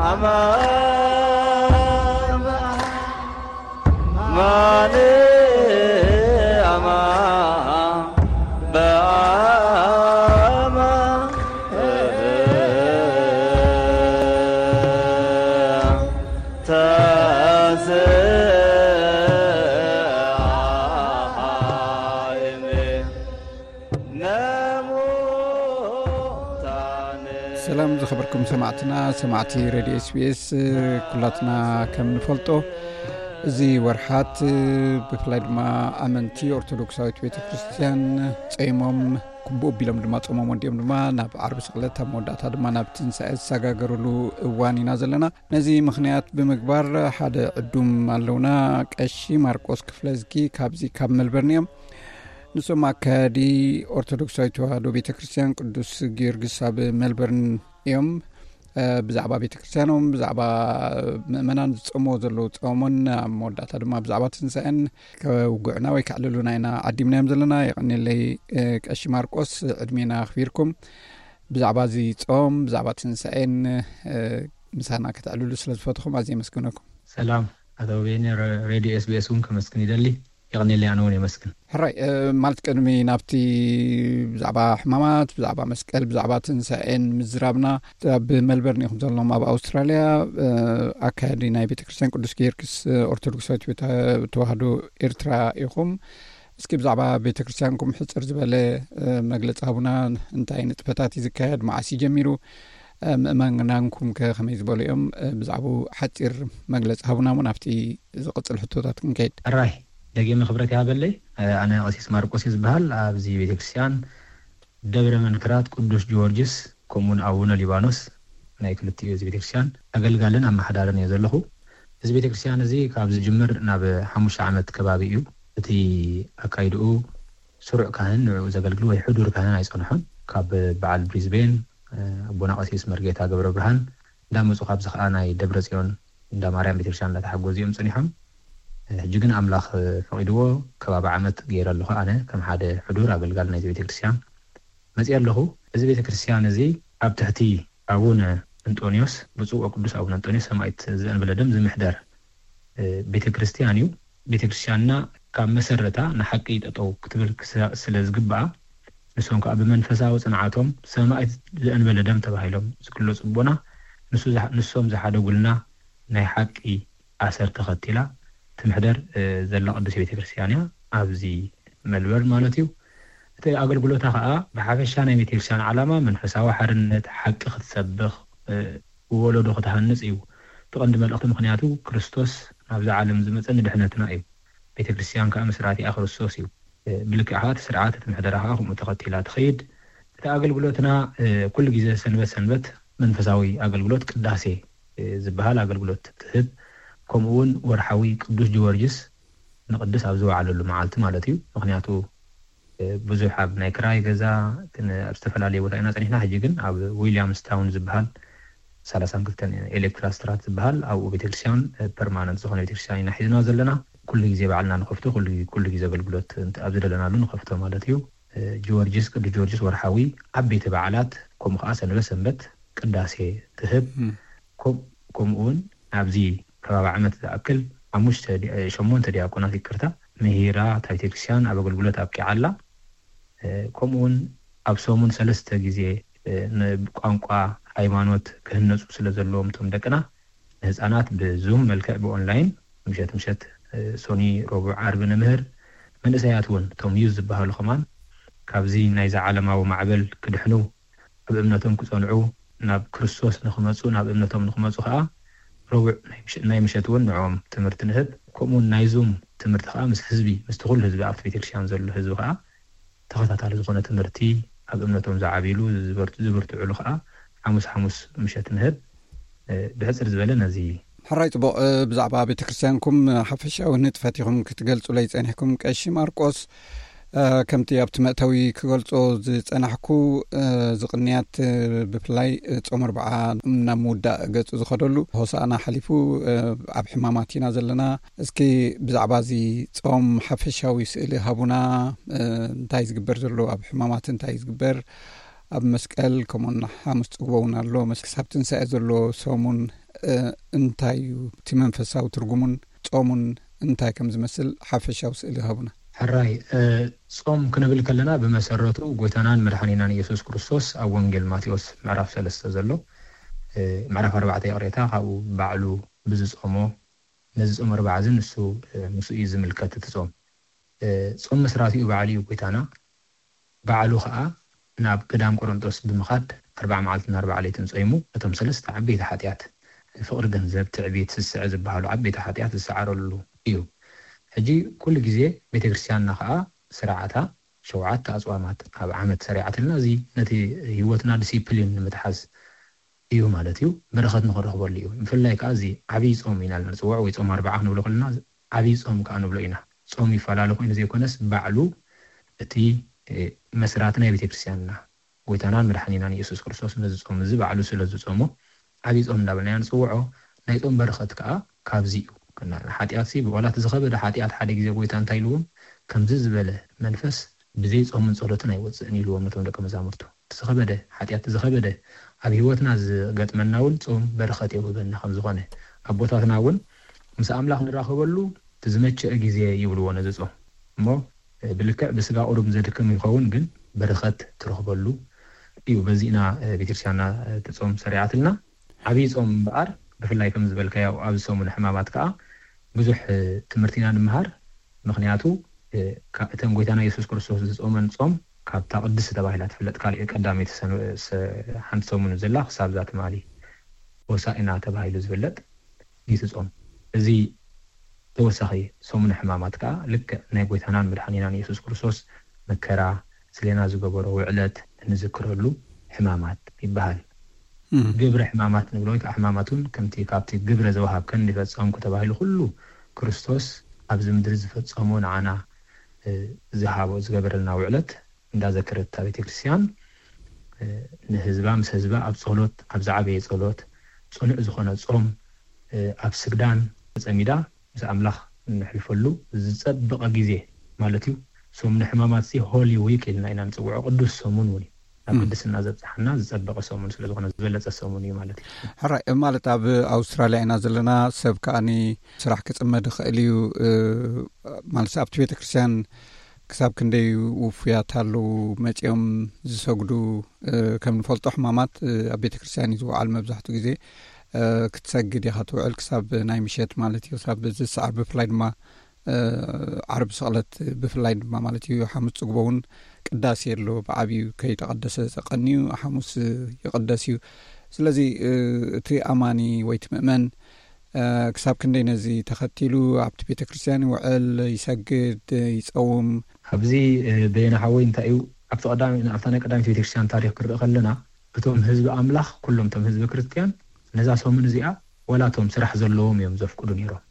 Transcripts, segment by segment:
አማን፣ ማን፣ አማን፣ በአማን ተስአይሜ። ሰላም ዝኸበርኩም ሰማዕትና፣ ሰማዕቲ ሬድዮ ኤስቢኤስ፣ ኩላትና ከም ንፈልጦ፣ እዚ ወርሓት፣ ብፍላይ ድማ ኣመንቲ ኦርቶዶክሳዊት ቤተ ክርስቲያን ጸይሞም፣ ክቡእ ቢሎም ድማ ጾሞም ወዲኦም ድማ ናብ ዓርቢ ስቕለት፣ ኣብ መወዳእታ ድማ ናብ ትንሳኤ ዝሰጋገሩሉ እዋን ኢና ዘለና። ነዚ ምኽንያት ብምግባር ሓደ ዕዱም ኣለውና፣ ቀሺ ማርቆስ ክፍለዝጊ ካብዚ ካብ መልበርን እዮም። ንሶም ኣካያዲ ኦርቶዶክሳዊት ተዋህዶ ቤተ ክርስቲያን ቅዱስ ጊዮርጊስ ኣብ መልበርን እዮም። እ፣ ብዛዕባ ቤተ ክርስቲያኖም፣ ብዛዕባ ምእመናን ዝጸምዎ ዘለዉ ጸሞን፣ ኣብ መወዳእታ ድማ ብዛዕባ ትንሳኤን ከውግዑና ወይ ከዕልሉና ኢና ዓዲምናዮም ዘለና። የቐንየለይ፣ እ፣ ቀሺ ማርቆስ፣ ዕድሜና ኣኽቢርኩም ብዛዕባ እዚ ጾም፣ ብዛዕባ ትንሳኤን፣ እ፣ ምሳና ከተዕልሉ ስለ ዝፈትኹም ኣዝየ የመስግነኩም። ሰላም ኣቶ ቤኒ፣ ረ-፣ ሬድዮ ኤስቢኤስ እውን ከመስግን ይደሊ። የቐንየለይ፣ ኣነ እውን የመስግን። ሕራይ፣ እ፣ ማለት ቅድሚ ናብቲ ብዛዕባ ሕማማት፣ ብዛዕባ መስቀል፣ ብዛዕባ ትንሳኤን ምዝራብና፣ ኣብ መልበርን ኢኹም ዘለኹም ኣብ ኣውስትራልያ፣ እ፣ ኣካያዲ ናይ ቤተ ክርስቲያን ቅዱስ ጊዮርጊስ፣ እ፣ ኦርቶዶክሳዊት ቤተ ተዋህዶ ኤርትራ ኢኹም። እስኪ ብዛዕባ ቤተ ክርስቲያንኩም ሕጽር ዝበለ፣ እ፣ መግለጺ ሃቡና። እንታይ ንጥፈታት እዩ ዝካየድ? መዓስ እዩ ጀሚሩ? እ፣ ምእመናንኩም ከ ከመይ ዝበሉ እዮም? እ፣ ብዛዕባኡ ሓጺር መግለጺ ሃቡና እሞ ናብቲ ዝቕጽል ሕቶታት ክንከይድ። ሕራይ፣ ደጊመ ክብረት ይሃበለይ። እ፣ ኣነ ቀሲስ ማርቆስ እየ ዝበሃል። ኣብዚ ቤተ ክርስቲያን ደብረ መንክራት ቅዱስ ጊዮርጊስ ከምኡውን ኣቡነ ሊባኖስ ናይ ክልቲኡ እዚ ቤተ ክርስቲያን ኣገልጋልን ኣመሓዳርን እየ ዘለኹ። እዚ ቤተ ክርስቲያን እዚ ካብ ዝጅምር ናብ ሓሙሽተ ዓመት ከባቢ እዩ። እቲ ኣካይድኡ ስሩዕ ካህን ንዕኡ ዘገልግል ወይ ሕዱር ካህን ኣይጸንሖን። ካብ በዓል ብሪዝቤን፣ እ፣ ኣቦና ቀሲስ መርጌታ ገብረ ብርሃን እንዳመጹ፣ ካብዚ ከኣ ናይ ደብረ ጽዮን እንዳ ማርያም ቤተክርስትያን እንዳተሓገዙ እዮም ጸኒሖም። ሕጂ ግን ኣምላኽ ፈቒድዎ ከባቢ ዓመት ገይረ ኣለኹ። ኣነ ከም ሓደ ሕዱር ኣገልጋሊ ናይዚ ቤተክርስትያን መጺአ ኣለኹ። እዚ ቤተክርስትያን እዚ ኣብ ትሕቲ ኣቡነ እንጦንዮስ፣ ብፁዕ ወቅዱስ ኣቡነ እንጦንዮስ ሰማዕት ዘእንበለ ደም ዝምሕደር፣ እ፣ ቤተክርስትያን እዩ። ቤተክርስትያንና ካብ መሰረታ ንሓቂ ጠጠው ክትብል ክስ-፣ ስለ ዝግብኣ፣ ንሶም ከኣ ብመንፈሳዊ ጽንዓቶም ሰማዕት ዘእንበለ ደም ተባሂሎም ዝግለጹ ኣቦና፣ ንሱ ዝሓ-፣ ንሶም ዝሓደጉልና ናይ ሓቂ ኣሰር ተኸቲላ ትምሕደር፣ እ፣ ዘላ ቅድስቲ ቤተክርስትያን እያ፣ ኣብዚ መልበርን ማለት እዩ። እቲ ኣገልግሎታ ከኣ ብሓፈሻ ናይ ቤተክርስትያን ዓላማ መንፈሳዊ ሓርነት፣ ሓቂ ክትሰብኽ፣ እ፣ ወለዶ ክትሃንጽ እዩ። እቲ ቀንዲ መልእኽቲ፣ ምኽንያቱ ክርስቶስ ናብዛ ዓለም ዝመጸ ንድሕነትና እዩ። ቤተክርስትያን ከኣ መስራቲኣ ክርስቶስ እዩ። እ፣ ብልክዕ ከኣ እቲ ስርዓት፣ እቲ ምሕደራ ከኣ ከምኡ ተኸቲላ ትኸይድ። እቲ ኣገልግሎትና፣ እ፣ ኩሉ ግዜ ሰንበት ሰንበት መንፈሳዊ ኣገልግሎት ቅዳሴ፣ እ፣ ዝበሃል ኣገልግሎት ትህብ። ከምኡ እውን ወርሓዊ ቅዱስ ጊዮርጊስ ንቅድስ ኣብ ዝወዓለሉ መዓልቲ ማለት እዩ። ምኽንያቱ፣ እ፣ ብዙሕ ኣብ ናይ ክራይ ገዛ፣ ክን-፣ ኣብ ዝተፈላለየ ቦታ ኢና ጸኒሕና። ሕጂ ግን ኣብ ዊልያምስታውን ዝበሃል ሰላሳን ክልተን ኤሌክትራ ስትራት ዝበሃል ኣብኡ ቤተክርስትያን፣ እ፣ ፐርማነንት ዝኾነ ቤተክርስትያን ኢና ሒዝና ዘለና። ኩሉ ግዜ ባዕልና ንኸፍቶ፣ ኩሉ፣ ኩሉ ግዜ ኣገልግሎት እንተ ኣብ ዝደለናሉ ንኸፍቶ ማለት እዩ። እ፣ ጊዮርጊስ፣ ቅዱስ ጊዮርጊስ ወርሓዊ ዓበይቲ በዓላት፣ ከምኡ ከኣ ሰንበት ሰንበት ቅዳሴ ትህብ። እም። ከም-፣ ከምኡ እውን ኣብዚ ከባቢ ዓመት ዝኣክል ሓሙሽተ ዲ-፣ እ፣ ሸሞንተ ዲያቆናት፣ ይቅርታ፣ ምሂራ እታ ቤተክርስትያን ኣብ ኣገልግሎት ኣብቂዓ ኣላ። እ፣ ከምኡ እውን ኣብ ሰሙን ሰለስተ ግዜ፣ እ፣ ንቋንቋ፣ ሃይማኖት ክህነጹ ስለ ዘለዎም እቶም ደቅና፣ ንህጻናት ብዙም መልክዕ ብኦንላይን ምሸት ምሸት፣ እ፣ ሶኒ፣ ረቡዕ፣ ዓርቢ ንምህር። መንእሰያት እውን እቶም ዩዝ ዝበሃሉ ከማን ካብዚ ናይዚ ዓለማዊ ማዕበል ክድሕኑ፣ ኣብ እምነቶም ክጸንዑ፣ ናብ ክርስቶስ ንኽመጹ፣ ናብ እምነቶም ንኽመጹ ከኣ ረቡዕ ናይ ምሸ-፣ ናይ ምሸት እውን ንዕኦም ትምህርቲ ንህብ። ከምኡ እውን ናይ ዙም ትምህርቲ ከኣ ምስ ህዝቢ፣ ምስቲ ኩሉ ህዝቢ፣ ኣብቲ ቤተክርስትያን ዘሎ ህዝቢ ከኣ ተኸታታሊ ዝኾነ ትምህርቲ፣ ኣብ እምነቶም ዝዓብይሉ፣ ዝበርት-፣ ዝብርትዑሉ ከኣ ሓሙስ ሓሙስ ምሸት ንህብ። እ፣ ብሕጽር ዝበለ ነዚ። ሕራይ ጽቡቕ። እ፣ ብዛዕባ ቤተክርስትያንኩም ሓፈሻዊ ንጥፈት ኢኹም ክትገልጹለይ ጸኒሕኩም፣ ቀሺ ማርቆስ። እ፣ ከምቲ ኣብቲ መእተዊ ክገልጾ ዝጸናሕኩ፣ እ፣ እዚ ቅንያት፣ እ፣ ብፍላይ፣ እ፣ ጾም ኣርብዓ ናብ ምውዳእ ገጹ ዝኸደሉ፣ ሆሳዕና ሓሊፉ፣ እ፣ ኣብ ሕማማት ኢና ዘለና። እስኪ ብዛዕባ እዚ ጾም ሓፈሻዊ ስእሊ ሃቡና። እ፣ እንታይ ዝግበር ዘሎ፣ ኣብ ሕማማት እንታይ ዝግበር፣ ኣብ መስቀል ከምኡና ሓሙስ ጽግቦ እውን ኣሎ። ክሳብ ትንሳኤ ዘሎ ሰሙን እንታይ እዩ? እቲ መንፈሳዊ ትርጉሙን ጾሙን እንታይ ከም ዝመስል ሓፈሻዊ ስእሊ ይሃቡና። ሕራይ። ጾም ክንብል ከለና ብመሰረቱ ጎይታናን መድሓኒናን ኢየሱስ ክርስቶስ ኣብ ወንጌል ማቴዎስ ምዕራፍ ሰለስተ ዘሎ፣ ምዕራፍ ኣርባዕተ ይቕሬታ፣ ካብኡ ባዕሉ ብዝጾሞ፣ ነዚ ጾም ኣርባዓ እዚ ንሱ፣ ምስኡ እዩ ዝምልከት እቲ ጾም። ጾም መስራቲኡ ባዕሉ እዩ ጎይታና። ባዕሉ ኸኣ ናብ ገዳም ቆሮንጦስ ብምኻድ ኣርባዓ መዓልትን ኣርባዓ ለይትን ጾይሙ፣ እቶም ሰለስተ ዓበይቲ ሓጢኣት፣ ፍቕሪ ገንዘብ፣ ትዕቢት፣ ስስዐ ዝበሃሉ ዓበይቲ ሓጢኣት ዝሰዓረሉ እዩ። ሕጂ ኩሉ ግዜ ቤተ ክርስቲያንና ኸኣ ስርዓታ ሸውዓተ ኣጽዋማት ኣብ ዓመት ሰሪዓትልና፣ እዚ ነቲ ህይወትና ዲሲፕሊን ንምትሓዝ እዩ ማለት እዩ። በረኸት ንኽረኽበሉ እዩ። ብፍላይ ከኣ እዚ ዓብዪ ጾም ኢና ንጽውዖ፣ ወይ ጾም ኣርባዓ ክንብሎ ከለና ዓብዪ ጾም ከኣ ንብሎ ኢና። ጾም ይፈላለ ኮይኑ ዘይኮነስ፣ ባዕሉ እቲ መስራት ናይ ቤተ ክርስቲያንና ጎይታናን መድሓኒናን ኢየሱስ ክርስቶስ ነዚ ጾም እዚ ባዕሉ ስለ ዝጾሞ ዓብዪ ጾም እንዳበልና ኢና ንጽውዖ። ናይ ጾም በረኸት ከኣ ካብዚ እዩ። ሓጢኣት ሲ ብቆላት ዝኸበደ ሓጢኣት ሓደ ግዜ ጎይታ እንታይ ኢልዎም? ከምዚ ዝበለ መንፈስ ብዘይ ጾምን ጸሎትን ኣይወጽእን ኢልዎም ነቶም ደቀ መዛሙርቱ። እቲ ዝኸበደ ሓጢኣት፣ ዝኸበደ ኣብ ህይወትና ዝገጥመና እውን ጾም በረኸት የውህበና ከም ዝኾነ፣ ኣቦታትና እውን ምስ ኣምላኽ ንራኸበሉ እቲ ዝመቸአ ግዜ ይብልዎ ነዚ ጾም። እሞ ብልክዕ ብስጋ ቁሩብ ዘድክም ይኸውን፣ ግን በረኸት ትረኽበሉ እዩ። በዚ ኢና ቤተክርስትያንና እቲ ጾም ሰሪዓትልና። ዓብዪ ጾም እምበኣር ብፍላይ ከም ዝበልካዮ ኣብዚ ሰሙን ሕማማት ከኣ ብዙሕ ትምህርቲ ኢና ንምሃር። ምኽንያቱ እተን ጎይታና የሱስ ክርስቶስ ዝጾመን ጾም ካብታ ቅድስቲ ተባሂላ ትፍለጥ ካልእ ቀዳመይቲ ሓንቲ ሰሙን ዘላ ክሳብ እዛ ትማሊ ሆሳእና ተባሂሉ ዝፍለጥ እዩ እቲ ጾም። እዚ ተወሳኺ ሰሙን ሕማማት ከኣ ልክዕ ናይ ጎይታናን መድሓኒናን የሱስ ክርስቶስ መከራ፣ ስሌና ዝገበሮ ውዕለት እንዝክረሉ ሕማማት ይበሃል። ግብረ ሕማማት ንብሎ ወይ ከዓ ሕማማት እውን ከምቲ ካብቲ ግብረ ዘወሃብ ከን ፈጸምኩ ተባሂሉ ኩሉ ክርስቶስ ኣብዚ ምድሪ ዝፈጸሞ ንዓና ዝሃቦ ዝገበረልና ውዕለት እንዳዘከረት እታ ቤተክርስትያን ንህዝባ ምስ ህዝባ ኣብ ጸሎት ኣብ ዝዓበየ ጸሎት ጽኑዕ ዝኾነ ጾም ኣብ ስግዳን ተጸሚዳ ምስ ኣምላኽ እንሕልፈሉ ዝጸበቐ ግዜ ማለት እዩ። ሰሙን ሕማማት ሲ ሆሊ ዊክ ኢልና ኢና ንጽውዖ፣ ቅዱስ ሰሙን እውን እዩ። ናብ ቅድስና ዘብጽሓና ዝጸበቐ ሰሙን ስለ ዝኾነ ዝበለጸ ሰሙን እዩ ማለት እዩ። ሕራይ ማለት ኣብ ኣውስትራልያ ኢና ዘለና፣ ሰብ ከኣኒ ስራሕ ክጽመድ ይኽእል እዩ። ማለት ኣብቲ ቤተ ክርስቲያን ክሳብ ክንደይ ውፉያት ኣለዉ መጺኦም ዝሰግዱ? ከም ንፈልጦ ሕማማት ኣብ ቤተ ክርስቲያን እዩ ዝወዓል መብዛሕትኡ ግዜ። ክትሰግድ ኢኻ ትውዕል ክሳብ ናይ ምሸት ማለት እዩ፣ ክሳብ ዝሰዓር። ብፍላይ ድማ ዓርቢ ስቕለት ብፍላይ ድማ ማለት እዩ፣ ሓሙስ ጽግቦ እውን ቅዳሴ ኣሎ ብዓብዩ ከይተቐደሰ ተቐንዩ ሓሙስ ይቕደስ እዩ። ስለዚ እቲ ኣማኒ ወይ እቲ ምእመን ክሳብ ክንደይ ነዚ ተኸቲሉ ኣብቲ ቤተ ክርስቲያን ይውዕል፣ ይሰግድ፣ ይጸውም? ኣብዚ በየነ ሓወይ እንታይ እዩ ኣብቲ ቀዳሚ ኣብታ ናይ ቀዳሚት ቤተ ክርስቲያን ታሪኽ ክርኢ ከለና እቶም ህዝቢ ኣምላኽ ኩሎም እቶም ህዝቢ ክርስቲያን ነዛ ሰሙን እዚኣ ዋላ እቶም ስራሕ ዘለዎም እዮም ዘፍቅዱ ነይሮም።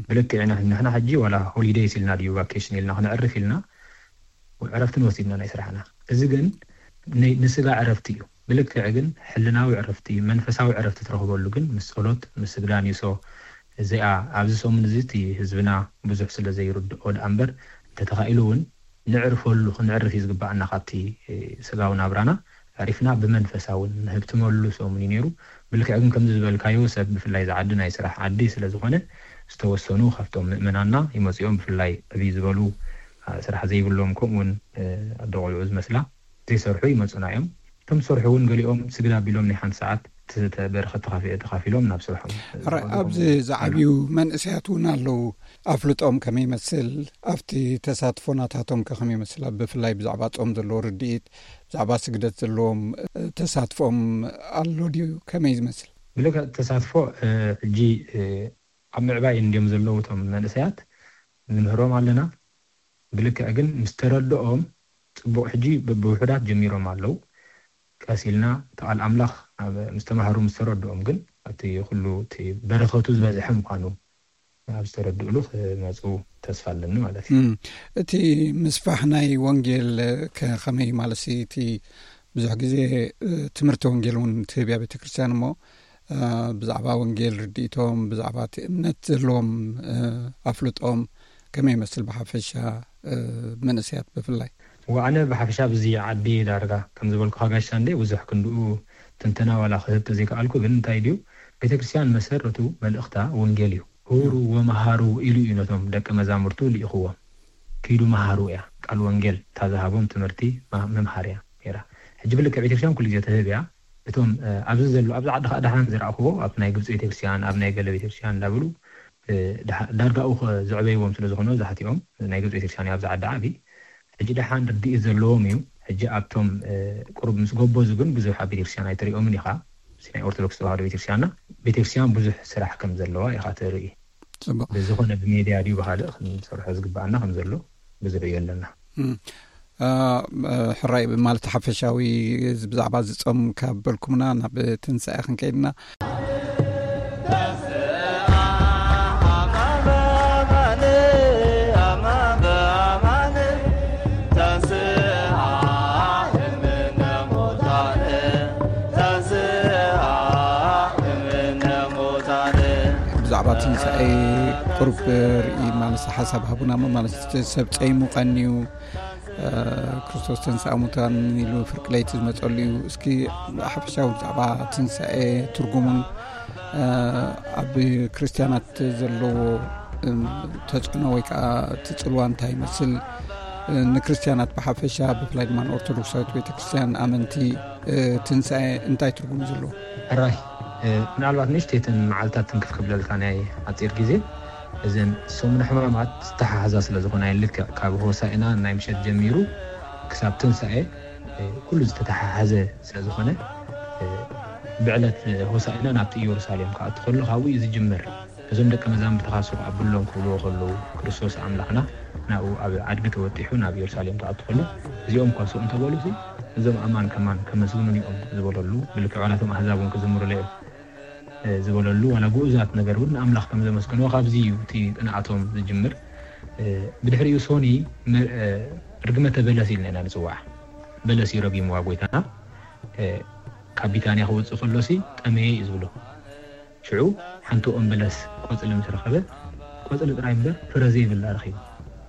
ብልክዕ ንሕና ሕጂ ዋላ ሆሊደይስ ኢልና ድዩ ቫኬሽን ኢልና ክነዕርፍ ኢልና ዕረፍቲ ንወስድ ኢና ናይ ስራሕና። እዚ ግን ንስጋ ዕረፍቲ እዩ። ብልክዕ ግን ሕልናዊ ዕረፍቲ መንፈሳዊ ዕረፍቲ ትረኽበሉ ግን ምስ ጸሎት ምስ ስግዳን እዩ። እዚኣ ኣብዚ ሰሙን እዚ እቲ ህዝብና ብዙሕ ስለ ዘይርድኦ ደኣ እምበር እንተተኻኢሉ እውን ንዕርፈሉ ክንዕርፍ እዩ ዝግባኣና። ካብቲ ስጋዊ ናብራና ዕሪፍና ብመንፈሳዊ ንህብትመሉ ሰሙን እዩ ነይሩ። ብልክዕ ግን ከምዚ ዝበልካዮ ሰብ ብፍላይ ዝዓዲ ናይ ስራሕ ዓዲ ስለ ዝኾነ ዝተወሰኑ ካብቶም ምእመናና ይመፅኦም ብፍላይ ዕብይ ዝበሉ ስራሕ ዘይብሎም ከምኡውን ኣደ ቆልዑ ዝመስላ ዘይሰርሑ ይመፁና እዮም። እቶም ዝሰርሑ እውን ገሊኦም ስግድ ኣቢሎም ናይ ሓንቲ ሰዓት በረኸት ተኻፊሎም ናብ ስርሖም። ኣብዚ ዝዓብዩ መንእሰያት እውን ኣለዉ። ኣፍልጦም ከመይ ይመስል? ኣብቲ ተሳትፎ ናታቶም ከ ከመይ ይመስል? ብፍላይ ብዛዕባ ጾም ዘለዎ ርድኢት፣ ብዛዕባ ስግደት ዘለዎም ተሳትፎም ኣሎ ድዩ? ከመይ ዝመስል? ብልክዕ ተሳትፎ ሕጂ ኣብ ምዕባይ እንድዮም ዘለዉ እቶም መንእሰያት ንምህሮም ኣለና። ብልክዕ ግን ምስ ተረድኦም ጽቡቕ ሕጂ ብውሑዳት ጀሚሮም ኣለዉ። ቀስ ኢልና እቲ ቃል ኣምላኽ ምስ ተማሃሩ ምስ ተረድኦም ግን እቲ ኩሉ እቲ በረኸቱ ዝበዝሐ ምዃኑ ኣብ ዝተረድእሉ ክመፁ ተስፋ ኣለኒ ማለት እዩ። እቲ ምስፋሕ ናይ ወንጌል ከመይ ማለት እቲ ብዙሕ ግዜ ትምህርቲ ወንጌል እውን ትህብያ ቤተክርስትያን እሞ ብዛዕባ ወንጌል ርድኢቶም ብዛዕባ እቲ እምነት ዘለዎም ኣፍልጦም ከመይ ይመስል ብሓፈሻ መንእሰያት ብፍላይ? ወኣነ ብሓፈሻ ብዚ ዓዲ ዳርጋ ከም ዝበልኩኻ ጋሽ ሳንዴ ብዙሕ ክንድኡ ትንተና ዋላ ክህብ ተዘይከኣልኩ፣ ግን እንታይ ድዩ፣ ቤተክርስትያን መሰረቱ መልእኽታ ወንጌል እዩ። ሁሩ ወመሃሩ ኢሉ እዩ ነቶም ደቀ መዛሙርቱ ልኢኽዎም። ኪዱ መሃሩ እያ ቃል ወንጌል፣ እታ ዝሃቦም ትምህርቲ ማ- ምምሃር እያ ነይራ። ሕጂ ብልክዕ ቤተክርስትያን ኩሉ ግዜ ትህብ እያ። እቶም ኣብዚ ዘሎ ኣብዚ ዓዲ ከዓ ደሓን ዝረኣኽዎ ኣብ ናይ ግብፂ ቤተክርስትያን ኣብ ናይ ገለ ቤተክርስትያን እንዳብሉ ዳርጋኡ ዘዕበይዎም ስለ ዝኾነ ዛሕቲኦም ናይ ግብፂ ቤተክርስትያን ኣብዚ ዓዲ ዓብዪ ሕጂ ደሓን ርድኢት ዘለዎም እዩ። ሕጂ ኣብቶም ቁሩብ ምስ ጎበዙ ግን ብዙሕ ኣብ ቤተክርስትያን ኣይትሪኦምን ኢኻ። ናይ ኦርቶዶክስ ተዋህዶ ቤተክርስትያንና ቤተክርስትያን ብዙሕ ስራሕ ከም ዘለዋ ኢኻ ትርኢ። ፅቡቅ። ብዝኾነ ብሜድያ ድዩ ብካልእ ክንሰርሖ ዝግባኣና ከም ዘሎ ብዙሕ እዩ ኣለና። ሕራይ ማለት ሓፈሻዊ ብዛዕባ ዝፀም ካብ በልኩምና ናብ ትንሳኤ ክንከይድና። ብዛዕባ ትንሳኤ ቁሩብ ርኢ ማለት ሓሳብ ሃቡና ማለት ሰብ ፀይሙ ቀንዩ ክርስቶስ ተንስኣ ሙታን ኢሉ ፍርቂ ለይቲ ዝመፀሉ እዩ። እስኪ ሓፈሻዊ ብዛዕባ ትንሳኤ ትርጉሙን ኣብ ክርስትያናት ዘለዎ ተፅዕኖ ወይ ከዓ እቲ ፅልዋ እንታይ ይመስል፣ ንክርስትያናት ብሓፈሻ ብፍላይ ድማ ንኦርቶዶክሳዊት ቤተክርስትያን ኣመንቲ ትንሳኤ እንታይ ትርጉም እዩ ዘለዎ? ሕራይ ምናልባት ንእሽተይትን መዓልታት ትንክፍ ክብለልካ ናይ ኣፂር ግዜ እዘን ሰሙነ ሕማማት ዝተሓሓዛ ስለ ዝኾና ልክዕ ካብ ሆሳእና ናይ ምሸት ጀሚሩ ክሳብ ትንሳኤ ኩሉ ዝተተሓሓዘ ስለ ዝኾነ ብዕለት ሆሳእና ናብቲ ኢየሩሳሌም ክኣቱ ከሎ ካብኡ እዩ ዝጅምር። እዞም ደቀ መዛሙርትኻ ሱቕ ኣብሎም ክብልዎ ከለዉ ክርስቶስ ኣምላኽና ናብኡ ኣብ ኣድጊ ተወጢሑ ናብ ኢየሩሳሌም ክኣቱ ከሎ እዚኦም እኳ ሱቕ እንተበሉ እዞም ኣማን ከማን ከመስግኑን እዮም ዝበለሉ ብልክዕ ዋላቶም ኣህዛብ እውን ክዝምሩለ እዮም ዝበለሉ ዋላ ግኡዛት ነገር እውን ንኣምላኽ ከም ዘመስግንዎ ካብዚ እዩ እቲ ቅንኣቶም ዝጅምር። ብድሕሪኡ ሶኒ ርግመተ በለስ ኢልና ኢና ንፅዋዓ። በለስ እዩ ረጊምዋ ጎይታና። ካብ ቢታንያ ክወፅእ ከሎሲ ጠመየ እዩ ዝብሎ። ሽዑ ሓንቲ ኦም በለስ ቆፅሊ ምስ ረኸበ ቆፅሊ ጥራይ እምበር ፍረ ዘይብላ ረኺቡ።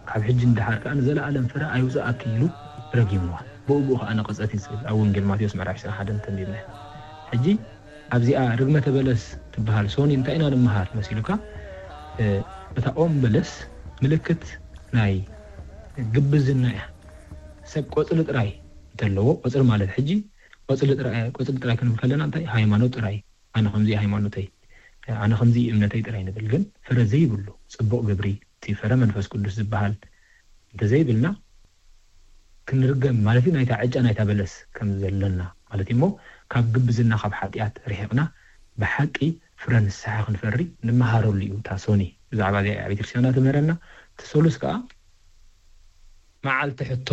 ካብ ሕጂ ንደሓር ከዓ ንዘለኣለም ፍረ ኣይውፅኣኪ ኢሉ ረጊምዋ። ብኡ ብኡ ከዓ ነቐፀት እዩ ዝብል ኣብ ወንጌል ማቴዎስ ምዕራፍ ዕስራን ሓደን ተንቢብና። ሕጂ ኣብዚኣ ርግመተ በለስ ትበሃል ሶኒ እንታይ ኢና ንምሃር መሲሉካ? እታ ኦም በለስ ምልክት ናይ ግብዝና እያ። ሰብ ቆፅሊ ጥራይ እንተለዎ ቆፅሊ ማለት ሕጂ ቆፅሊ ጥራይ ቆፅሊ ጥራይ ክንብል ከለና እንታይ ሃይማኖት ጥራይ ኣነ ከምዚ ሃይማኖተይ ኣነ ከምዚ እምነተይ ጥራይ ንብል ግን ፍረ ዘይብሉ ፅቡቕ ግብሪ እቲ ፍረ መንፈስ ቅዱስ ዝበሃል እንተዘይብልና ክንርገም ማለት እዩ ናይታ ዕጫ ናይታ በለስ ከም ዘለና ማለት እዩ እሞ ካብ ግብዝና ካብ ሓጢኣት ርሒቕና ብሓቂ ፍረ ንስሓ ክንፈሪ ንመሃረሉ እዩ እታ ሶኒ ብዛዕባ እዚኣ ቤተክርስትያንና ትምህረና እቲ ሰሉስ ከዓ መዓልቲ ሕቶ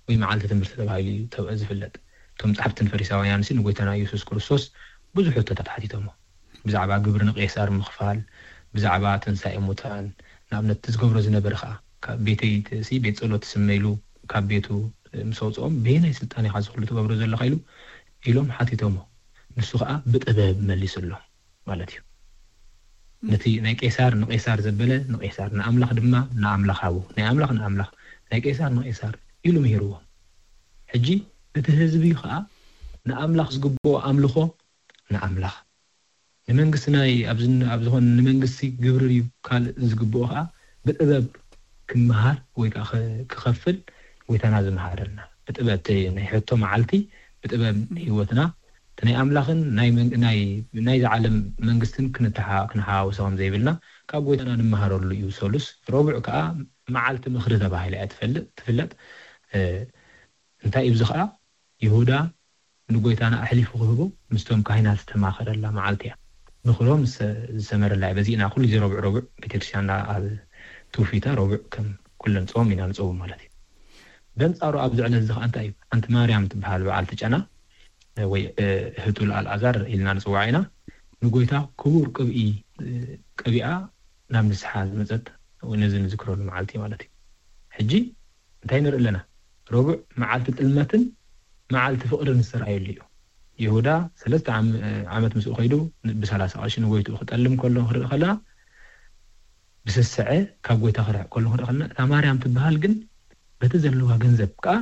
ወይ መዓልቲ ትምህርቲ ተባሂሉ እዩ ዝፍለጥ። እቶም ጻሕፍትን ፈሪሳውያን ሲ ንጎይታና ኢየሱስ ክርስቶስ ብዙሕ ሕቶታት ሓቲቶሞ። ብዛዕባ ግብሪ ንቄሳር ምኽፋል፣ ብዛዕባ ትንሳኤ ሙታን፣ ንኣብነት እቲ ዝገብሮ ዝነበረ ኸዓ ካብ ቤተይ ሲ ቤት ጸሎት ስመ ኢሉ ካብ ቤቱ ምስ ኣውፅኦም በየናይ ስልጣን ኢኻ ዝኽሉ ትገብሮ ዘለኻ ኢሉ ኢሎም ሓቲቶሞ። ንሱ ኸዓ ብጥበብ መሊስሎም። ማለት እዩ። ነቲ ናይ ቄሳር ንቄሳር ዘበለ ንቄሳር፣ ንኣምላኽ ድማ ንኣምላኽ ሃቡ። ናይ ኣምላኽ ንኣምላኽ፣ ናይ ቄሳር ንቄሳር ኢሉ ምሂርዎም። ሕጂ እቲ ህዝቢ ኸኣ ንኣምላኽ ዝግብኦ ኣምልኾ ንኣምላኽ፣ ንመንግስቲ ናይ ኣብ ዝኾነ ንመንግስቲ ግብሪ ድዩ ካልእ ዝግብኦ ኸኣ ብጥበብ ክመሃር ወይ ከዓ ክኸፍል ጎይታና ዝመሃረልና። ብጥበብ ናይ ሕቶ መዓልቲ ብጥበብ ህይወትና እቲ ናይ ኣምላኽን ናይ መንግ- ናይ ናይዚ ዓለም መንግስትን ክንተሓ- ክንሓዋውሶ ከም ዘይብልና ካብ ጎይታና ንመሃረሉ እዩ። ሰሉስ ረቡዕ ከዓ መዓልቲ ምኽሪ ተባሂላ እያ ትፈልጥ ትፍለጥ። እ፣ እንታይ እዩ እዚ ከዓ ይሁዳ ንጎይታና ኣሕሊፉ ክህቦ ምስቶም ካህናት ዝተማኸረላ መዓልቲ እያ። ምኽሮም ዝሰ- ዝሰመረላ እያ። በዚእና ኩሉ ግዜ ረቡዕ ረቡዕ ቤተክርስትያንና ኣብ ትውፊታ ረቡዕ ከም ኩለን ጾም ኢና ንጸውም ማለት እዩ። በንጻሩ ኣብዚ ዕለት እዚ ከዓ እንታይ እዩ ሓንቲ ማርያም ትበሃል በዓልቲ ጨና ወይ እህቱ ኣልኣዛር ኢልና ንፅዋዓ ኢና። ንጎይታ ክቡር ቅብኢ ቀቢኣ ናብ ንስሓ ዝመፀት ነዚ ንዝክረሉ መዓልቲ ማለት እዩ። ሕጂ እንታይ ንርኢ ኣለና? ረቡዕ መዓልቲ ጥልመትን መዓልቲ ፍቅርን ዝተረኣየሉ እዩ። ይሁዳ ሰለስተ ዓመት ምስኡ ከይዱ ብሰላሳ ቅርሺ ንጎይትኡ ክጠልም ከሎ ክንርኢ ከለና ብስስዐ ካብ ጎይታ ክርሕቅ ከሎ ክንርኢ ከለና እታ ማርያም ትበሃል ግን በቲ ዘለዋ ገንዘብ ከዓ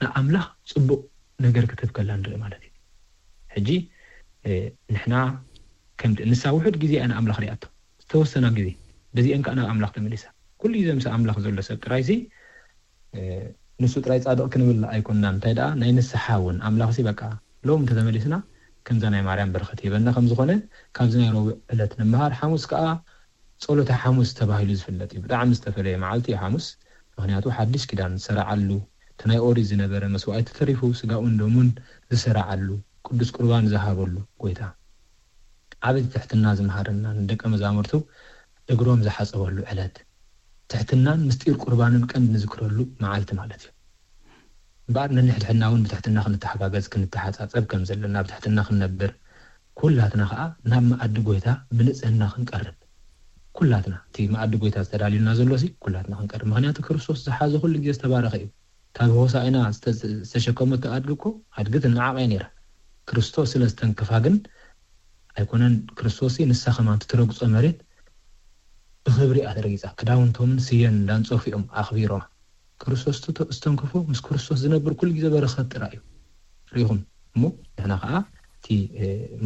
ንኣምላኽ ጽቡቕ ነገር ክትህብ ከላ ንርኢ ማለት እዩ። ሕጂ ንሕና ከምቲ ንሳ ውሑድ ግዜ እያ ንኣምላኽ ሪኣቶ፣ ዝተወሰና ግዜ፣ በዚአን ከዓ ናብ ኣምላኽ ተመሊሳ። ኩሉ ግዜ ምስ ኣምላኽ ዘሎ ሰብ ጥራይሲ ንሱ ጥራይ ጻድቕ ክንብል ኣይኮንና። እንታይ ደኣ ናይ ንስሓ እውን ኣምላኽሲ በቃ ሎም እንተተመሊስና ከምዛ ናይ ማርያም በረኸት ይበና ከም ዝኾነ ካብዚ ናይ ረቡዕ ዕለት ንምሃር። ሓሙስ ከዓ ጸሎተ ሓሙስ ተባሂሉ ዝፍለጥ እዩ። ብጣዕሚ ዝተፈለየ መዓልቲ እዩ ሓሙስ። ምኽንያቱ ሓድሽ ኪዳን ዝሰረዓሉ፣ እቲ ናይ ኦሪት ዝነበረ መስዋእቲ ተሪፉ ስጋኡን ደሙን ዝሰረዓሉ፣ ቅዱስ ቁርባን ዝሃበሉ ጎይታ። ዓቢ ትሕትና ዝመሃረና፣ ንደቀ መዛሙርቱ እግሮም ዝሓጸበሉ ዕለት። ትሕትናን ምስጢር ቁርባንን ቀንዲ ንዝክረሉ መዓልቲ ማለት እዩ። እምበኣር ነንሕድሕድና እውን ብትሕትና ክንተሓጋገዝ፣ ክንተሓጻጸብ ከም ዘለና፣ ብትሕትና ክንነብር፣ ኩላትና ከኣ ናብ መኣዲ ጎይታ ብንጽህና ክንቀርብ፣ ኩላትና እቲ መኣዲ ጎይታ ዝተዳልዩና ዘሎ ሲ ኩላትና ክንቀርብ። ምኽንያቱ ክርስቶስ ዝሓዘ ኩሉ ግዜ ዝተባረኸ እዩ። ካብ ሆሳዕና ዝተ-፣ ዝተሸከመቶ ኣድጊ እኮ ኣድጊ ትነዓቕ እያ ነይራ። ክርስቶስ ስለ ዝተንከፋ ግን ኣይኮነን። ክርስቶስ ንሳ ከማን ትረግጾ መሬት ብኽብሪ እያ ተረጊጻ። ክዳውንቶምን ስየን እንዳንጸፉ እዮም ኣኽቢሮማ። ክርስቶስ ዝተ-፣ ዝተንከፎ ምስ ክርስቶስ ዝነብር ኩሉ ግዜ በረኸት ጥራይ እዩ። ርኢኹም እሞ ንሕና ከኣ እቲ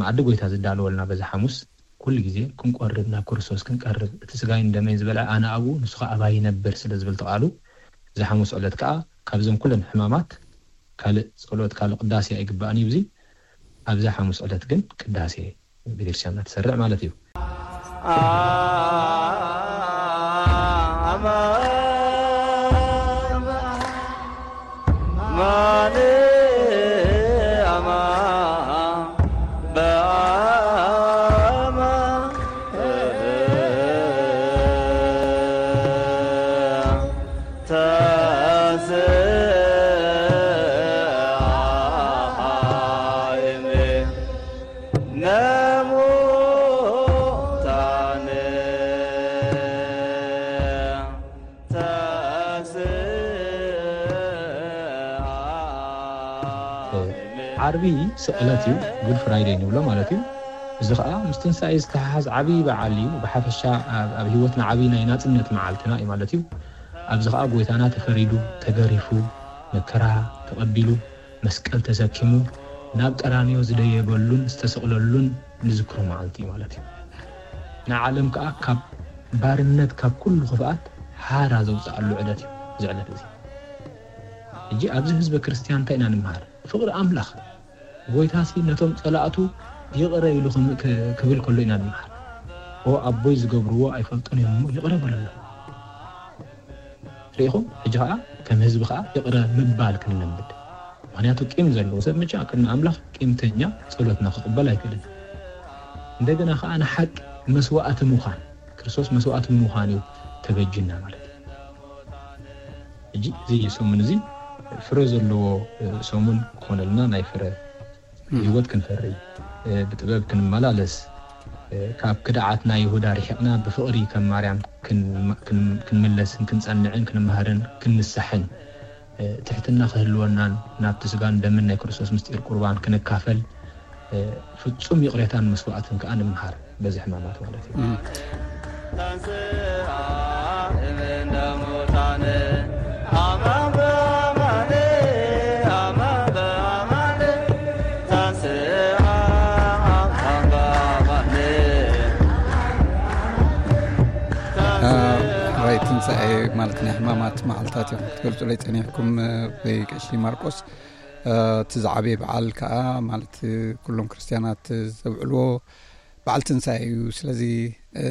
መኣዲ ጎይታ ዝዳለወልና በዚ ሓሙስ ኩሉ ግዜ ክንቆርብ፣ ናብ ክርስቶስ ክንቀርብ፣ እቲ ስጋይን ደመይን ዝበልዐ ኣነ ኣብኡ ንሱ ከኣ ኣባይ ይነብር ስለ ዝብል ተቓሉ፣ እዚ ሓሙስ ዕለት ከኣ ካብዞም ኩለን ሕማማት ካልእ ጸሎት ካልእ ቅዳሴ ኣይግባእን እዩ። እዚ ኣብዛ ሓሙስ ዕለት ግን ቅዳሴ ቤተክርስትያንና ትሰርዕ ማለት እዩ። ዓርቢ ስቕለት እዩ፣ ጉድ ፍራይደይ ንብሎ ማለት እዩ። እዚ ኸኣ ምስ ትንሳኤ ዝተሓሓዝ ዓብዪ በዓል እዩ። ብሓፈሻ ኣብ፣ ኣብ ህይወትና ዓብዪ ናይ ናጽነት መዓልትና እዩ ማለት እዩ። ኣብዚ ኸኣ ጎይታና ተፈሪዱ፣ ተገሪፉ፣ መከራ ተቐቢሉ፣ መስቀል ተሰኪሙ ናብ ቀራንዮ ዝደየበሉን ዝተሰቕለሉን ንዝክሮ መዓልቲ እዩ ማለት እዩ። ንዓለም ከኣ ካብ ባርነት፣ ካብ ኩሉ ክፍኣት ሓራ ዘውፅኣሉ ዕለት እዩ እዚ ዕለት እዚ። ሕጂ ኣብዚ ህዝበ ክርስትያን እንታይ ኢና ንምሃር? ፍቕሪ ኣምላኽ። ጎይታሲ ነቶም ጸላእቱ ይቕረ ኢሉ ክም-፣ ክ-፣ ክብል ከሎ ኢና ንምሃር። "ኦ ኣቦይ ዝገብርዎ ኣይፈልጡን እዮም እሞ ይቕረ በለሎም።" ርኢኹም? ሕጂ ኸኣ ከም ህዝቢ ኸኣ ይቕረ ምባል ክንለምድ። ምኽንያቱ ቂም ዘለዎ ሰብ መቸም ቅድሚ ኣምላኽ ቂምተኛ ጸሎትና ክቕበል ኣይክእልን። እንደገና ኸኣ ንሓቂ መስዋእቲ ምዃን፣ ክርስቶስ መስዋእቲ ብምዃን እዩ ተበጅና ማለት እዩ። ሕጂ እዚ ሰሙን እዚ ፍረ ዘለዎ፣ እ፣ ሰሙን ክኾነልና ናይ ፍረ ህይወት ክንፈሪ፣ እ፣ ብጥበብ ክንመላለስ፣ እ፣ ካብ ክድዓት ናይ ይሁዳ ርሒቕና ብፍቕሪ ከም ማርያም ክን-፣ ክን-፣ ክንምለስን ክንጸንዕን ክንመሃርን ክንንሳሕን፣ እ፣ ትሕትና ክህልወናን ናብቲ ስጋን ደምን ናይ ክርስቶስ ምስጢር ቁርባን ክንካፈል፣ እ፣ ፍጹም ይቕሬታን መስዋዕትን ከኣ ንምሃር በዚ ሕማማት ማለት እዩ። እም። ራይ ትንሳኤ ማለት ናይ ሕማማት መዓልታት እዮም ክትገልጹለይ ጸኒሕኩም፣ እ፣ ቀሺ ማርቆስ። እ፣ እቲ ዝዓበየ በዓል ከኣ ማለት ኩሎም ክርስትያናት ዘብዕልዎ በዓል ትንሳኤ እዩ። ስለዚ፣ እ፣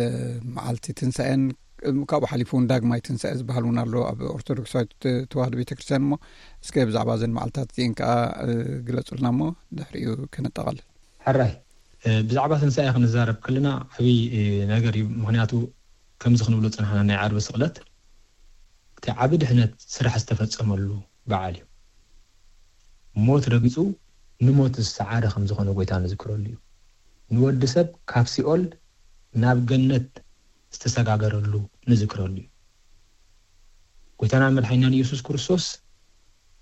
መዓልቲ ትንሳኤን፣ እ፣ ካብኡ ሓሊፉ እውን ዳግማይ ትንሳኤ ዝበሃል እውን ኣሎ ኣብ ኦርቶዶክሳዊት ተዋህዶ ቤተክርስትያን። እሞ እስከ ብዛዕባ እዘን መዓልታት እዚአን ከኣ፣ እ፣ ግለጹልና እሞ ድሕሪኡ ከነጠቓልል። ሕራይ፣ እ፣ ብዛዕባ ትንሳኤ ክንዛረብ ከለና ዓብዪ፣ እ፣ ነገር እዩ። ምኽንያቱ ከምዚ ክንብሎ ጸናሕና፣ ናይ ዓርቢ ስቕለት እቲ ዓቢ ድሕነት ስራሕ ዝተፈጸመሉ በዓል እዩ። ሞት ረጊጹ ንሞት ዝሰዓረ ከም ዝኾነ ጎይታ ንዝክረሉ እዩ። ንወዲ ሰብ ካብ ሲኦል ናብ ገነት ዝተሰጋገረሉ ንዝክረሉ እዩ። ጎይታና መድሓኒናን ኢየሱስ ክርስቶስ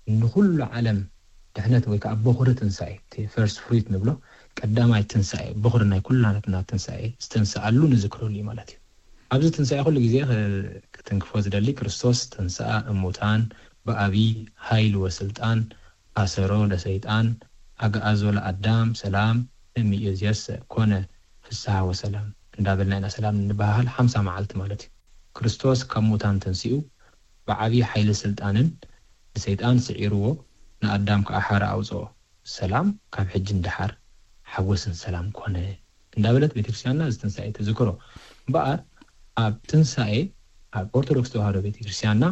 ንኹሉ ዓለም ድሕነት ወይ ከዓ በኹሪ ትንሳኤ፣ እቲ ፈርስት ፍሩት ንብሎ፣ ቀዳማይ ትንሳኤ፣ በኹሪ ናይ ኩላትና ትንሳኤ ዝተንስኣሉ ንዝክረሉ እዩ ማለት እዩ። ኣብዚ ትንሳኤ ኩሉ ግዜ ክ-፣ ክትንክፎ ዝደሊ ክርስቶስ ተንስኣ እሙታን፣ ብኣብይ ኃይል ወስልጣን ኣሰሮ ለሰይጣን ኣግኣዞ ለኣዳም ሰላም እምይእዜሰ ኮነ ፍስሐ ወሰላም እንዳበልና ኢና ሰላም እንበሃሃል ሓምሳ መዓልቲ ማለት እዩ። ክርስቶስ ካብ ሙታን ተንሲኡ ብዓብዪ ሓይሊ ስልጣንን ንሰይጣን ስዒርዎ ንኣዳም ከዓ ሓራ ኣውፅኦ። ሰላም ካብ ሕጂ ንደሓር ሓጎስን ሰላም ኮነ እንዳበለት ቤተክርስትያንና እዚ ትንሳኤ ትዝክሮ። እምበኣር ኣብ ትንሳኤ ኣብ ኦርቶዶክስ ተዋህዶ ቤተክርስትያንና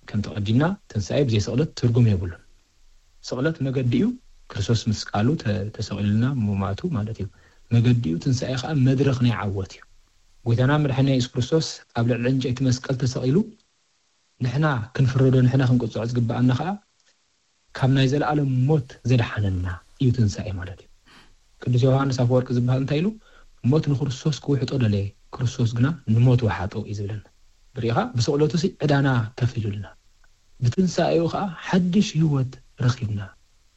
ከም ተቐዲምና ትንሳኤ ብዘይ ስቕለት ትርጉም የብሉን። ስቕለት መገዲ እዩ። ክርስቶስ ምስ ቃሉ ተሰቒሉልና ምማቱ ማለት እዩ። መገዲ እዩ። ትንሳኤ ከዓ መድረኽ ናይ ዓወት እዩ። ጎይታና መድሓና የሱስ ክርስቶስ ኣብ ልዕሊ ዕንጨይቲ መስቀል ተሰቒሉ ንሕና ክንፍረዶ ንሕና ክንቅፅዖ ዝግበኣና ከዓ ካብ ናይ ዘለኣለም ሞት ዘድሓነና እዩ ትንሳኤ ማለት እዩ። ቅዱስ ዮሃንስ ኣፈወርቂ ዝበሃል እንታይ ኢሉ? ሞት ንክርስቶስ ክውሕጦ ደለየ፣ ክርስቶስ ግና ንሞት ወሓጦ እዩ ዝብለና። ብሪኢኻ ብስቕለቱ ሲ ዕዳና ከፊሉልና፣ ብትንሳኤኡ ከዓ ሓድሽ ህይወት ረኺብና፣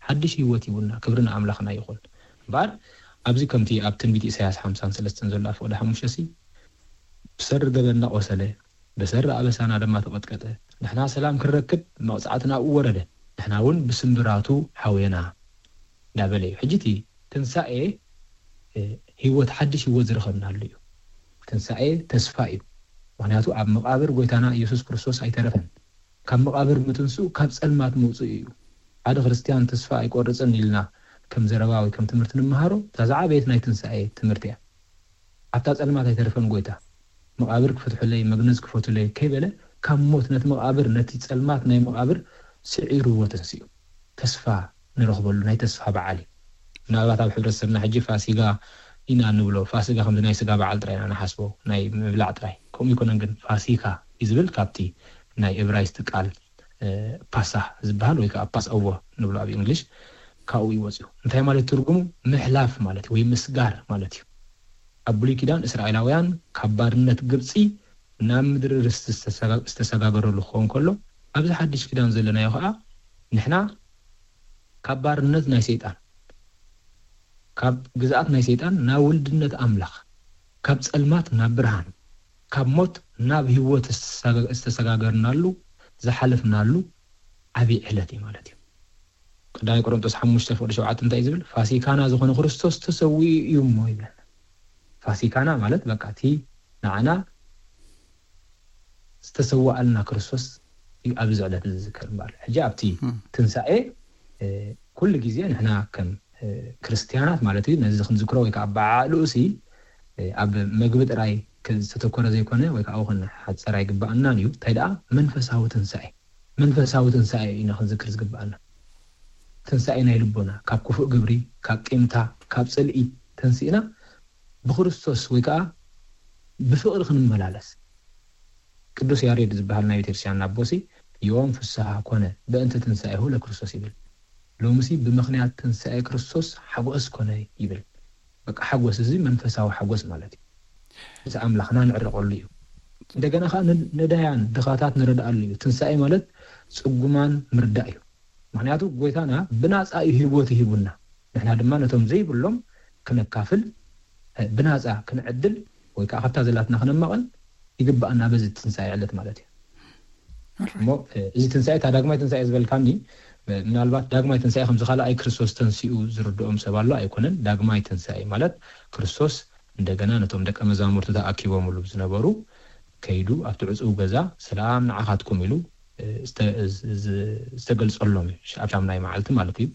ሓድሽ ህይወት ሂቡና። ክብሪ ንኣምላኽና ይኹን። እምበኣር ኣብዚ ከምቲ ኣብ ትንቢት ኢሳያስ ሓምሳን ሰለስተን ዘሎ ኣፍቕደ ሓሙሽተ ሲ ብሰሪ ገበንና ቆሰለ፣ ብሰሪ ኣበሳና ድማ ተቐጥቀጠ፣ ንሕና ሰላም ክንረክብ መቕጻዕቲ ናብኡ ወረደ፣ ንሕና እውን ብስምብራቱ ሓውየና እንዳበለ እዩ። ሕጂ እቲ ትንሳኤ ህይወት ሓድሽ ህይወት ዝረኸብናሉ እዩ። ትንሳኤ ተስፋ እዩ። ምክንያቱ ኣብ መቓብር ጎይታና ኢየሱስ ክርስቶስ ኣይተረፈን። ካብ መቓብር ምትንስኡ ካብ ጸልማት ምውፅኡ እዩ። ሓደ ክርስትያን ተስፋ ኣይቆርፅን ኢልና ከም ዘረባ ወይ ከም ትምህርቲ ንምሃሮ እታ ዝዓበየት ናይ ትንሳኤ ትምህርቲ እያ። ኣብታ ጸልማት ኣይተረፈን ጎይታ። መቓብር ክፈትሑለይ መግነዝ ክፈቱለይ ከይበለ ካብ ሞት ነቲ መቓብር ነቲ ጸልማት ናይ መቓብር ስዒርዎ ተንስኡ። ተስፋ ንረኽበሉ ናይ ተስፋ በዓል እዩ። ምናልባት ኣብ ሕብረተሰብና ሕጂ ፋሲጋ ኢና ንብሎ። ፋሲጋ ከምዚ ናይ ስጋ በዓል ጥራይ ኢና ንሓስቦ፣ ናይ ምብላዕ ጥራይ። ከምኡ ይኮነን ግን ፋሲካ እዩ ዝብል ካብቲ ናይ እብራይስጥ ቃል ፓሳ ዝበሃል ወይ ከዓ ፓስ ኦቨር ንብሎ ኣብ እንግሊሽ ካብኡ ይወፅኡ። እንታይ ማለት ትርጉሙ? ምሕላፍ ማለት ወይ ምስጋር ማለት እዩ። ኣብ ብሉይ ኪዳን እስራኤላውያን ካብ ባርነት ግብፂ ናብ ምድሪ ርስቲ ዝተሰጋገረሉ ክኸውን ከሎ ኣብዚ ሓድሽ ኪዳን ዘለናዮ ከዓ ንሕና ካብ ባርነት ናይ ሰይጣን ካብ ግዝኣት ናይ ሰይጣን ናብ ውልድነት ኣምላኽ ካብ ጸልማት ናብ ብርሃን ካብ ሞት ናብ ህይወት ዝተሰጋገርናሉ ዝሓለፍናሉ ዓብዪ ዕለት እዩ ማለት እዩ። ቀዳማይ ቆሮንቶስ ሓሙሽተ ፍቕዲ ሸውዓተ እንታይ እዩ ዝብል? ፋሲካና ዝኾነ ክርስቶስ ተሰዊኡ እዩ እሞ ይብለና። ፋሲካና ማለት በቃ እቲ ንዓና ዝተሰዋኣልና ክርስቶስ እዩ ኣብዚ ዕለት ዝዝከር እምበኣር። ሕጂ ኣብቲ ትንሳኤ ኩሉ ግዜ ንሕና ከም ክርስትያናት ማለት እዩ ነዚ ክንዝክሮ ወይ ከዓ በዓልኡ ሲ ኣብ መግቢ ጥራይ ዝተተኮረ ዘይኮነ ወይ ከዓ ውን ሓፀር ኣይግባኣናን እዩ። እንታይ ደኣ መንፈሳዊ ትንሳኤ መንፈሳዊ ትንሳኤ ኢና ክንዝክር ዝግባኣና። ትንሳኤ ናይ ልቦና ካብ ክፉእ ግብሪ ካብ ቂምታ ካብ ፅልኢ ተንሲእና ብክርስቶስ ወይ ከዓ ብፍቕሪ ክንመላለስ። ቅዱስ ያሬድ ዝበሃል ናይ ቤተክርስትያን ኣቦሲ ዮም ፍስሃ ኮነ በእንተ ትንሳኤሁ ለክርስቶስ ይብል። ሎምሲ ብምኽንያት ትንሳኤ ክርስቶስ ሓጎስ ኮነ ይብል። በቃ ሓጎስ እዚ መንፈሳዊ ሓጎስ ማለት እዩ። እዚ ኣምላኽና ንዕረቐሉ እዩ። እንደገና ከዓ ነዳያን ድኻታት ንረድኣሉ እዩ። ትንሳኤ ማለት ፅጉማን ምርዳእ እዩ። ምክንያቱ ጎይታና ብናፃ እዩ ህይወት ይሂቡና። ንሕና ድማ ነቶም ዘይብሎም ክነካፍል ብናፃ ክንዕድል ወይ ከዓ ካብታ ዘላትና ክነማቐል ይግባኣና በዚ ትንሳኤ ዕለት ማለት እዩ። እሞ እዚ ትንሳኤ እታ ዳግማይ ትንሳኤ ዝበልካኒ ምናልባት ዳግማይ ትንሳኤ ከምዚ ካልኣይ ክርስቶስ ተንሲኡ ዝርድኦም ሰብ ኣሎ ኣይኮነን። ዳግማይ ትንሳኤ ማለት ክርስቶስ እንደገና ነቶም ደቀ መዛሙርቱ ተኣኪቦምሉ ዝነበሩ ከይዱ ኣብቲ ዕፁው ገዛ ሰላም ንዓኻትኩም ኢሉ ዝተገልፀሎም እዩ። ኣብ ሻምናይ መዓልቲ ማለት እዩ።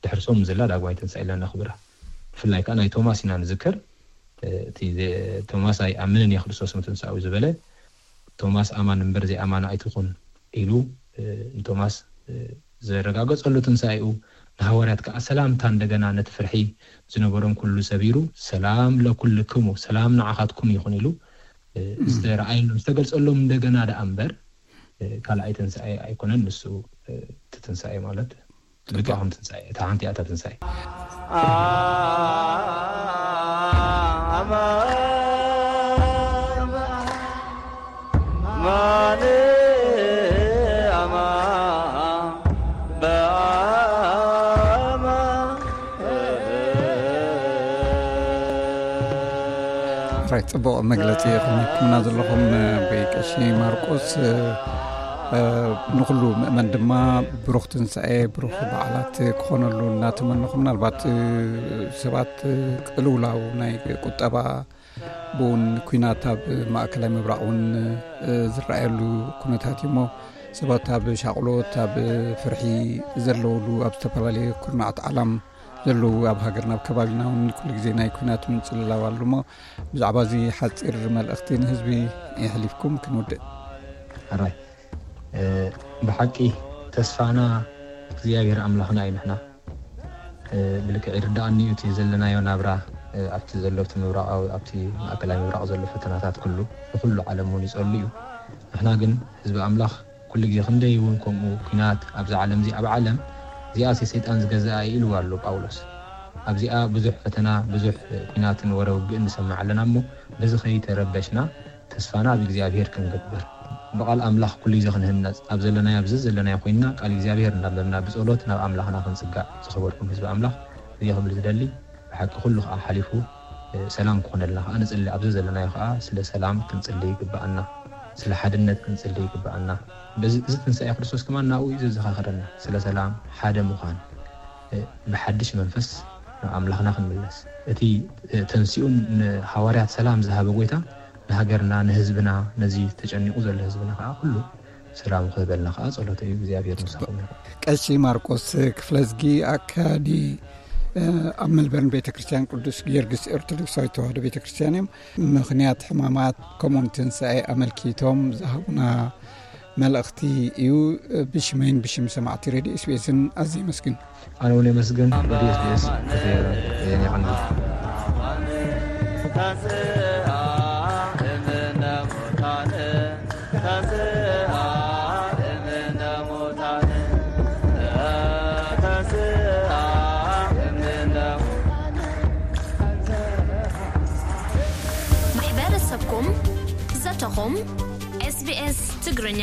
ድሕርሶም ዘላ ዳግማይ ትንሳኤ ኢልና ነኽብራ። ብፍላይ ከዓ ናይ ቶማስ ኢና ንዝከር። እቲ ቶማስ ኣይኣምንን እየ ክርስቶስ ምትንሳኡ ዝበለ ቶማስ ኣማን እምበር ዘይኣማን ኣይትኹን ኢሉ ንቶማስ ዘረጋገፀሉ ትንሳኤኡ ንሃዋርያት ከዓ ሰላምታ እንደገና ነቲ ፍርሒ ዝነበሮም ኩሉ ሰቢሩ ሰላም ለኩልክሙ ሰላም ንዓኻትኩም ይኹን ኢሉ ዝተረኣየሎም ዝተገልፀሎም እንደገና ደኣ እምበር ካልኣይ ትንሳኤ ኣይኮነን። ንሱ እቲ ትንሳኤ ማለት ልባኹም ትንሳኤ እታ ሓንቲ እያ እታ ትንሳኤ። ራይ ጽቡቕ መግለጺ ኢኹም ሂብኩምና ዘለኹም። ኣቦይ ቀሺ ማርቆስ ንኹሉ ምእመን ድማ ብሩኽ ትንሳኤ፣ ብሩኽ በዓላት ክኾነሉ እናተመነኹ፣ ምናልባት ሰባት ቅልውላው ናይ ቁጠባ ብውን ኩናት ኣብ ማእከላይ ምብራቕ እውን ዝረኣየሉ ኩነታት እዩ እሞ፣ ሰባት ኣብ ሻቕሎት፣ ኣብ ፍርሒ ዘለውሉ፣ ኣብ ዝተፈላለየ ኩርናዓት ዓለም ዘለዉ፣ ኣብ ሃገርና ኣብ ከባቢና እውን ኩሉ ግዜ ናይ ኩናት ምንጽልላው ኣሎ እሞ፣ ብዛዕባ እዚ ሓጺር መልእኽቲ ንህዝቢ የሕሊፍኩም ክንውድእ። ሕራይ። ብሓቂ ተስፋና እግዚኣብሔር ኣምላኽና እዩ። ንሕና ብልክዕ ይርዳኣኒ እዩ እቲ ዘለናዮ ናብራ ኣብቲ ዘሎ ኣብቲ ምብራቃዊ ኣብቲ ማእከላይ ምብራቅ ዘሎ ፈተናታት ኩሉ ንኩሉ ዓለም እውን ይጸሉ እዩ። ንሕና ግን ህዝቢ ኣምላኽ ኩሉ ግዜ ክንደይ እውን ከምኡ ኩናት ኣብዛ ዓለም እዚ ኣብ ዓለም እዚኣ ሰይጣን ዝገዝኣ ኢልዋ ኣሎ ጳውሎስ። ኣብዚኣ ብዙሕ ፈተና ብዙሕ ኩናትን ወረ ውግእን ንሰምዕ ኣለና እሞ በዚ ከይተረበሽና ተስፋና ኣብ እግዚኣብሔር ክንገብር ብቓል ኣምላኽ ኩሉ ግዜ ክንህነጽ ኣብ ዘለናዮ ኣብዚ ዘለናዮ ኮይንና ቃል እግዚኣብሔር እናንበብና ብጸሎት ናብ ኣምላኽና ክንጽጋዕ። ዝኸበርኩም ህዝቢ ኣምላኽ እዚ ክብል ዝደሊ ብሓቂ ኩሉ ከዓ ሓሊፉ ሰላም ክኾነልና ከዓ ንጽሊ ኣብዚ ዘለናዮ ከዓ ስለ ሰላም ክንጽሊ ይግብኣና። ስለ ሓድነት ክንጽሊ ይግብኣና። በዚ እዚ ትንሳኤ ክርስቶስ ከማን ናብኡ እዩ ዘዘኻኽረና ስለ ሰላም ሓደ ምዃን። ብሓድሽ መንፈስ ናብ ኣምላኽና ክንምለስ እቲ ተንሲኡን ንሃዋርያት ሰላም ዝሃበ ጎይታ ንሃገርና ንህዝብና ነዚ ተጨኒቑ ዘሎ ህዝብና ከዓ ኩሉ ሰላም ክህበልና ከዓ ጸሎተ እዩ። እግዚኣብሔር ምሳኹም ይኹን። ቀሺ ማርቆስ ክፍለዝጊ ኣካዲ ኣብ መልበርን ቤተ ክርስቲያን ቅዱስ ጊዮርጊስ ኦርቶዶክሳዊት ተዋህዶ ቤተ ክርስቲያን እዮም። ምኽንያት ሕማማት ከምኡን ትንሳኤ ኣመልኪቶም ዝሃቡና መልእኽቲ እዩ። ብሽመይን ብሽም ሰማዕቲ ሬድዮ ኤስቢኤስን ኣዝየ የመስግን። ኣነ እውን የመስግን። ሬድዮ ኤስቢኤስ ክትየረ የቀንዲ። ማሕበረሰብኩም ዘተኹም ኤስቢኤስ ትግርኛ።